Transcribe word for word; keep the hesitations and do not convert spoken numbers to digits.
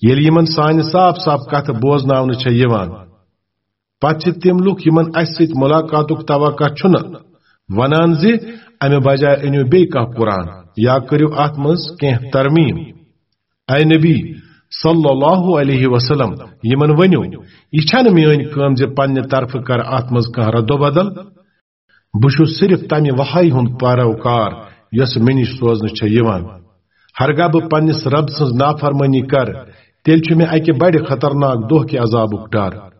ییٚلہِ یِمن سانہِ صاف صاف کتھٕ بوزناونہٕ چھےٚ یِوان، پتہٕ چھِ تِم لُکھ، یِمن اسہِ سۭتۍ ملاقاتُک توقع چھُنہٕ، ونان زِ، امہِ بجایہِ أنِو بیٚیہِ کانٛہہ قرآن یا کٔرِو اتھ منٛز کینٛہہ ترمیم۔ اے نبی صلی اللہ علیہ وسلم، یِمن ؤنِو، یہِ چھنہٕ میٲنۍ کٲم زِ پننہِ طرفہٕ کرٕ اتھ منٛز کانٛہہ رد و بدل۔ بہٕ چھُس صرف تمہِ وحی ہُنٛد پیروکار یۄس مےٚ نِش سوزنہٕ چھےٚ یِوان۔ ہرگاہ بہٕ پننِس رب سٕنٛز نافرمٲنی کرٕ، تیٚلہِ چھُ مےٚ اکہِ بڑِ خطرناک دۄہ کہِ عذابُک ڈر۔